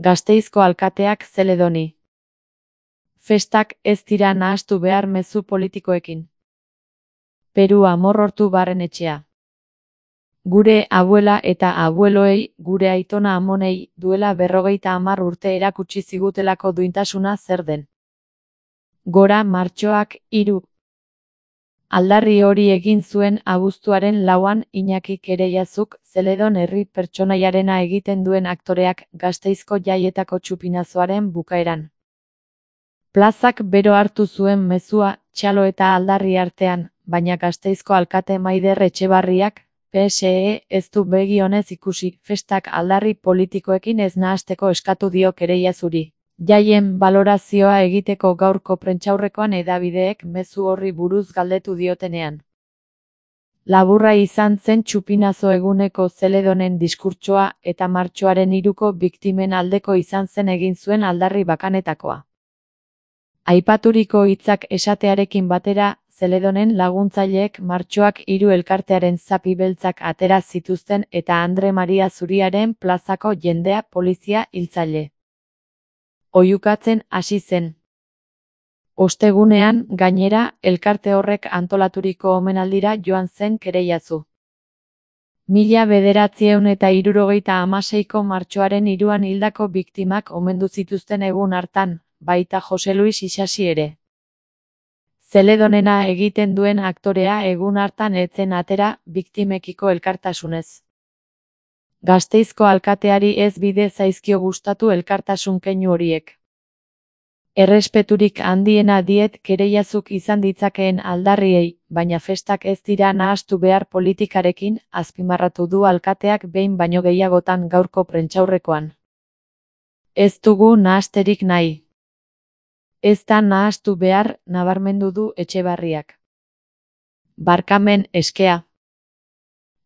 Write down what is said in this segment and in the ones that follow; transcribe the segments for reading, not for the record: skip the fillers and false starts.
Gasteizko alkateak Zeledoni. Festak ez dira nahastu behar mezu politikoekin. Peru Amorortu Barrenetxea. Gure abuela eta abueloei, gure aitona amonei, duela 50 urte erakutsi zigutelako duintasuna zer den. Gora martxoak 3. Aldarri hori egin zuen abuztuaren 4an Iñaki Kereiazuk, Zeledon herri pertsonaiarena egiten duen aktoreak, Gasteizko jaietako txupinazoaren bukaeran. Plazak bero hartu zuen mezua, txalo eta aldarri artean, baina Gasteizko alkate Maider Etxebarriak, PSE, ez du begi onez ikusi, festak aldarri politikoekin ez nahasteko eskatu dio Kereiazuri. Jaien balorazioa egiteko gaurko prentsaurrekoan hedabideek mezu horri buruz galdetu diotenean. Laburra izan zen txupinazo eguneko Zeledonen diskurtsoa eta martxoaren 3ko biktimen aldeko izan zen egin zuen aldarri bakanetakoa. Aipaturiko hitzak esatearekin batera, Zeledonen laguntzaileek martxoak 3 elkartearen zapi beltzak atera zituzten eta Andre Maria Zuriaren plazako jendea polizia hiltzaile oihukatzen hasi zen. Ostegunean, gainera, elkarte horrek antolaturiko omenaldira joan zen Kereiazu. 1976ko martxoaren 3an hildako biktimak omendu zituzten egun hartan, baita Jose Luis Isasi ere. Zeledonena egiten duen aktorea egun hartan ez zen atera biktimekiko elkartasunez. Gasteizko alkateari ez bide zaizkio gustatu elkartasun keinu horiek. Errespeturik handiena diet Kereiazuk izan ditzakeen aldarriei, baina festak ez dira nahastu behar politikarekin, azpimarratu du alkateak behin baino gehiagotan gaurko prentsaurrekoan. Ez dugu nahasterik nahi. Ez da nahastu behar, nabarmendu du Etxebarriak. Barkamen eskea.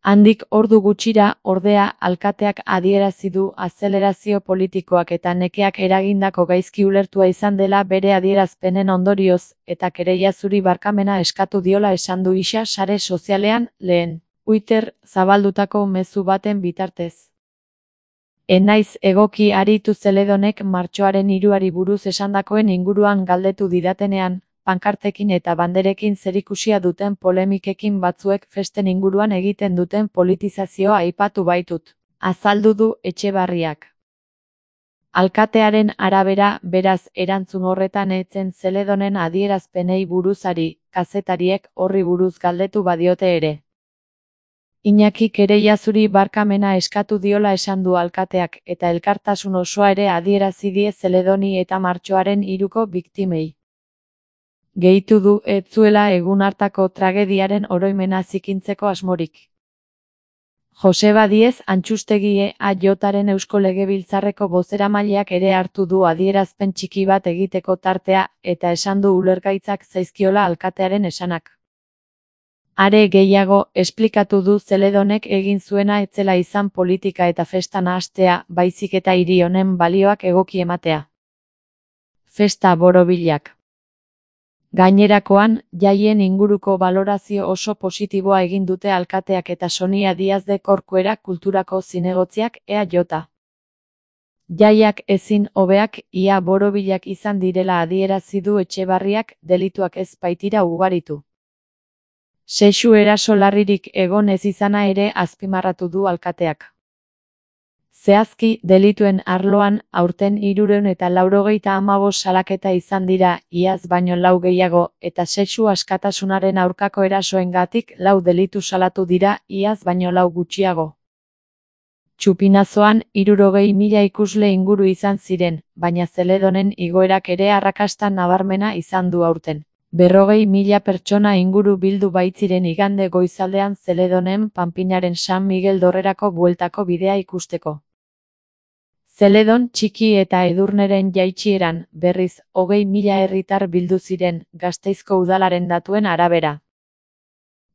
Handik ordu gutxira, ordea, alkateak adierazi du azelerazio politikoak eta nekeak eragindako gaizki ulertua izan dela bere adierazpenen ondorioz, eta Kereiazuri barkamena eskatu diola esan du isa sare sozialean, lehen Twitter zabaldutako mezu baten bitartez. Enaiz egoki aritu Zeledonek martxoaren 3ari buruz esandakoen inguruan galdetu didatenean, pankartekin eta banderekin zerikusia duten polemikekin batzuek festen inguruan egiten duten politizazioa aipatu baitut, azaldu du Etxebarriak. Alkatearen arabera, beraz, erantzun horretan etzen Zeledonen adierazpenei buruzari, kazetariek horri buruz galdetu badiote ere. Iñaki Kereiazuri barkamena eskatu diola esan du alkateak eta elkartasun osoa ere adierazi die Zeledoni eta martxoaren 3ko biktimei. Gehitu du ez zuela egun hartako tragediaren oroimena zikintzeko asmorik. Joseba Diez Antxustegi EAJaren Eusko Legebiltzarreko bozeramaileak ere hartu du adierazpen txiki bat egiteko tartea eta esan du ulergaitzak zaizkiola alkatearen esanak. Are gehiago, esplikatu du Zeledonek egin zuena ez zela izan politika eta festa nahastea, baizik eta hiri honen balioak egoki ematea. Festa borobilak. Gainerakoan, jaien inguruko balorazio oso positiboa egin dute alkateak eta Sonia Diaz de Corcuera kulturako zinegotziak EAJ. Jaiak ezin hobeak ia borobilak izan direla adierazi du Etxebarriak, delituak ez baitira ugaritu. Sexu eraso larririk egon ez izana ere azpimarratu du alkateak. Zehazki, delituen arloan, aurten 395 salaketa izan dira, iaz baino 4 gehiago, eta sexu askatasunaren aurkako erasoengatik 4 delitu salatu dira, iaz baino 4 gutxiago. Txupinazoan, 60.000 ikusle inguru izan ziren, baina Zeledonen igoerak ere arrakasta nabarmena izan du aurten. 40.000 pertsona inguru bildu baitziren igande goizaldean Zeledonen Panpinaren San Miguel dorrerako bueltako bidea ikusteko. Zeledon txiki eta Edurneren jaitsieran, berriz, 20.000 herritar bildu ziren, Gasteizko udalaren datuen arabera.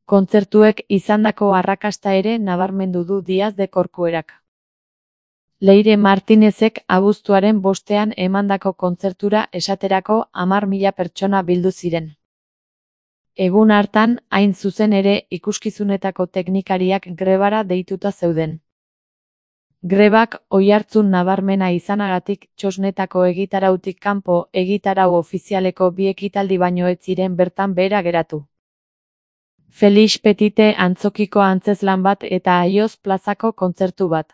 Kontzertuek izandako arrakasta ere nabarmendu du Diaz de Corcuerak. Leire Martinezek abuztuaren 5ean emandako kontzertura esaterako 10.000 pertsona bildu ziren. Egun hartan, hain zuzen ere, ikuskizunetako teknikariak grebara deituta zeuden. Grebak oihartzun nabarmena izanagatik txosnetako egitarautik kanpo egitarau ofizialeko 2 ekitaldi baino ez ziren bertan behera geratu. Felix Petite antzokiko antzezlan bat eta Aioz plazako kontzertu bat.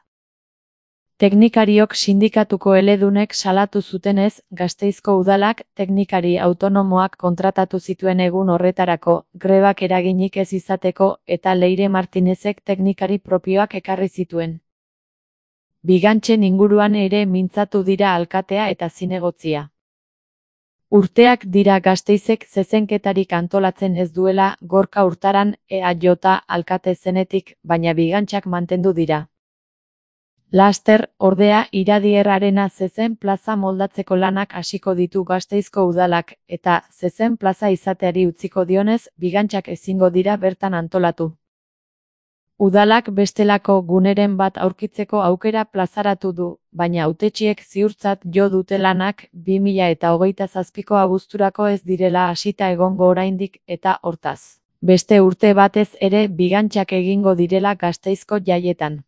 Teknikariok sindikatuko eledunek salatu zutenez, Gasteizko udalak teknikari autonomoak kontratatu zituen egun horretarako, grebak eraginik ez izateko eta Leire Martinezek teknikari propioak ekarri zituen. Bigantzen inguruan ere mintzatu dira alkatea eta zinegotzia. Urteak dira Gasteizek zezenketarik antolatzen ez duela Gorka Urtaran EAJ alkate zenetik, baina bigantzak mantendu dira. Laster, ordea, Iradierrarena zezen plaza moldatzeko lanak hasiko ditu Gasteizko udalak, eta zezen plaza izateari utziko dionez, bigantzak ezingo dira bertan antolatu. Udalak bestelako guneren bat aurkitzeko aukera plazaratu du, baina hautetsiek ziurtzat jo dute lanak 2027ko abuzturako ez direla hasita egongo oraindik eta hortaz. Beste urte batez ere bigantzak egingo direla Gasteizko jaietan.